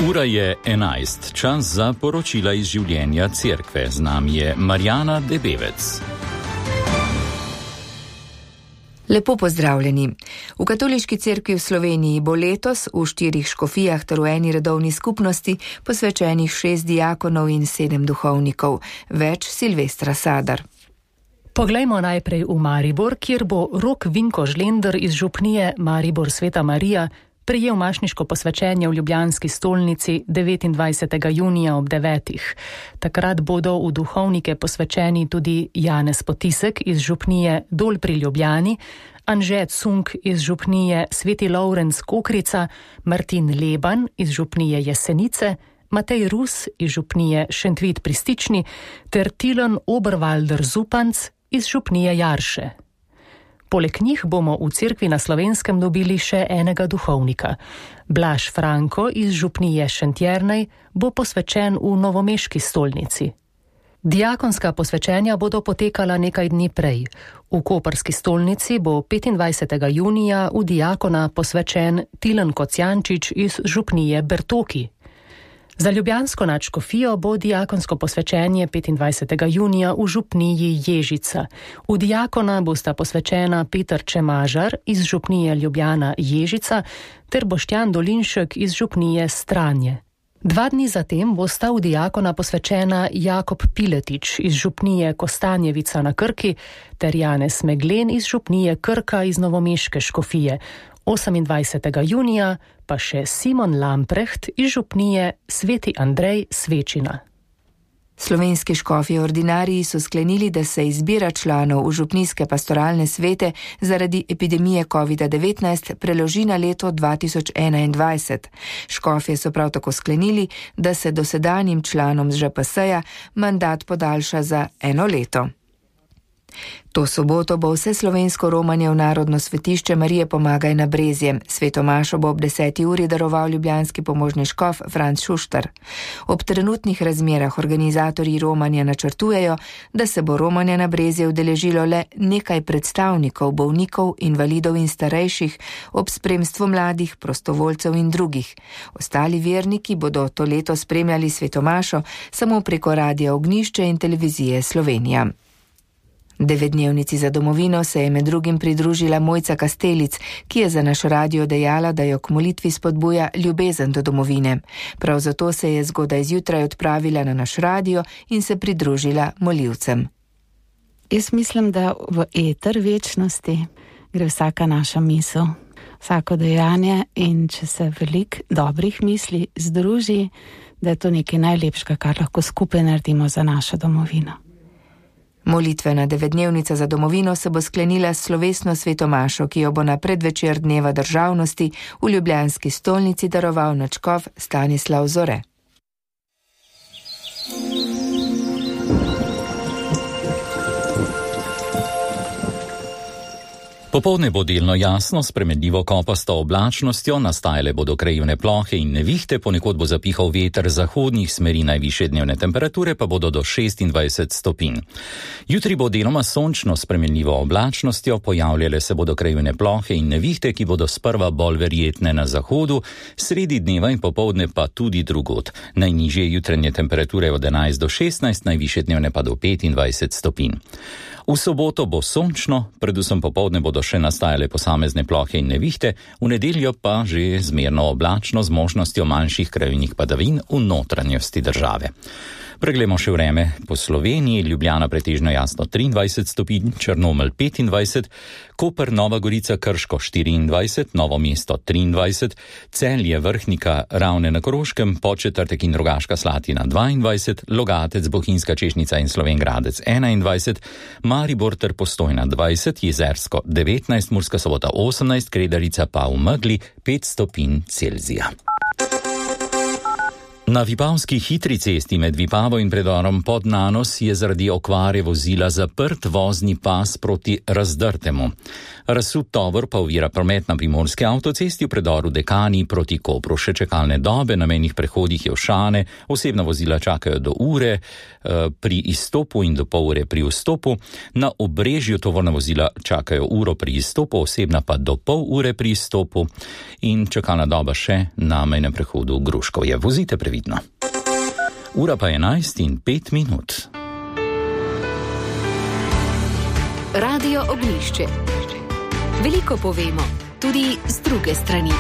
Ura je 11, čas za poročila iz življenja cerkve. Z nami je Marjana Debevec. Lepo pozdravljeni. V Katoliški cerkvi v Sloveniji bo letos v 4 škofijah ter v eni redovni skupnosti posvečenih 6 diakonov in 7 duhovnikov. Več Silvestra Sadar. Poglejmo najprej v Maribor, kjer bo Rok Vinko Žlender iz župnije Maribor Sveta Marija prejel mašniško posvečenje v ljubljanski stolnici 29. junija ob 9. Takrat bodo v duhovnike posvečeni tudi Janez Potisek iz župnije Dol pri Ljubljani, Anže Cunk iz župnije Sveti Lovrenc Kokrica, Martin Leban iz župnije Jesenice, Matej Rus iz župnije Šentvit pri Stični ter Tilen Oberwalder Zupanc iz župnije Jarše. Poleg njih bomo v cerkvi na Slovenskem dobili še enega duhovnika. Blaž Franko iz župnije Šentjernej bo posvečen v novomeški stolnici. Diakonska posvečenja bodo potekala nekaj dni prej. V koprski stolnici bo 25. junija v diakona posvečen Tilen Kocjančič iz župnije Bertoki. Za ljubljansko nadškofijo bo diakonsko posvečenje 25. junija v župniji Ježica. V diakona bosta posvečena Peter Čemažar iz župnije Ljubljana Ježica ter Boštjan Dolinšek iz župnije Stranje. 2 dni zatem bosta v diakona posvečena Jakob Piletič iz župnije Kostanjevica na Krki ter Janez Meglen iz župnije Krka iz novomeške škofije. 28. junija pa še Simon Lamprecht iz župnije Sveti Andrej Svečina. Slovenski škofje ordinariji so sklenili, da se izbira članov v župnijske pastoralne svete zaradi epidemije COVID-19 preloži na leto 2021. Škofje so prav tako sklenili, da se dosedanjim članom z ŽPS-ja mandat podaljša za 1 leto. To soboto bo vse slovensko romanje v Narodno svetišče Marije Pomagaj na Brezje. Sveto mašo bo ob 10. uri daroval ljubljanski pomožni škof Franc Šuštar. Ob trenutnih razmerah organizatorji romanja načrtujejo, da se bo romanja na Brezje udeležilo le nekaj predstavnikov, bolnikov, invalidov in starejših, ob spremstvu mladih, prostovoljcev in drugih. Ostali verniki bodo to leto spremljali sveto mašo samo preko Radia Ognjišče in televizije Slovenija. 9-dnevnici za domovino se je med drugim pridružila Mojca Kastelic, ki je za naš radio dejala, da jo k molitvi spodbuja ljubezen do domovine. Prav zato se je zgodaj zjutraj odpravila na naš radio in se pridružila molivcem. Jaz mislim, da v eter večnosti gre vsaka naša misel, vsako dejanje, in če se veliko dobrih misli združi, da je to nekaj najlepšega, kar lahko skupaj naredimo za našo domovino. Molitvena 9-dnevnica za domovino se bo sklenila s slovesno sveto mašo, ki jo bo na predvečer dneva državnosti v ljubljanski stolnici daroval nadškof Stanislav Zore. Popoldne bo delno jasno, s spremenljivo kopasto oblačnostjo, nastajale bodo krajevne plohe in nevihte, ponekod bo zapihal veter zahodnih smeri, najvišje dnevne temperature pa bodo do 26 stopinj. Jutri bo deloma sončno s spremenljivo oblačnostjo, pojavljale se bodo krajevne plohe in nevihte, ki bodo sprva bolj verjetne na zahodu, sredi dneva in popoldne pa tudi drugod. Najnižje jutranje temperature od 11 do 16, najvišje dnevne pa do 25 stopinj. V soboto bo sončno, predvsem popoldne bodo še nastajale posamezne plohe in nevihte, v nedeljo pa že zmerno oblačno z možnostjo manjših krajevnih padavin v notranjosti države. Preglejmo še vreme po Sloveniji. Ljubljana pretežno jasno 23 stopinj, Črnomelj 25, Koper, Nova Gorica, Krško 24, Novo mesto 23, Celje, Vrhnika, Ravne na Koroškem, Podčetrtek in Rogaška Slatina 22, Logatec, Bohinjska Češnica in Slovenj Gradec 21, Maribor ter Postojna 20, Jezersko 19, Murska Sobota 18, Kredarica pa v megli 5 stopinj Celzija. Na Vipavski hitri cesti med Vipavo in predorom Podnanos je zaradi okvare vozila zaprt vozni pas proti Razdrtemu. Razsut tovor pa ovira promet na primorski avtocesti v predoru Dekani proti Kopru. Še čakalne dobe na mejnih prehodih Jevšane, osebna vozila čakajo do ure pri izstopu in do pol ure pri vstopu. Na Obrežju tovorna vozila čakajo uro pri izstopu, osebna pa do pol ure pri izstopu in čakalna doba še na mejnem prehodu Gruškovje. Vozite previdno. Ura pa 11:05. Radio Ognjišče. Veliko povemo, tudi z druge strani.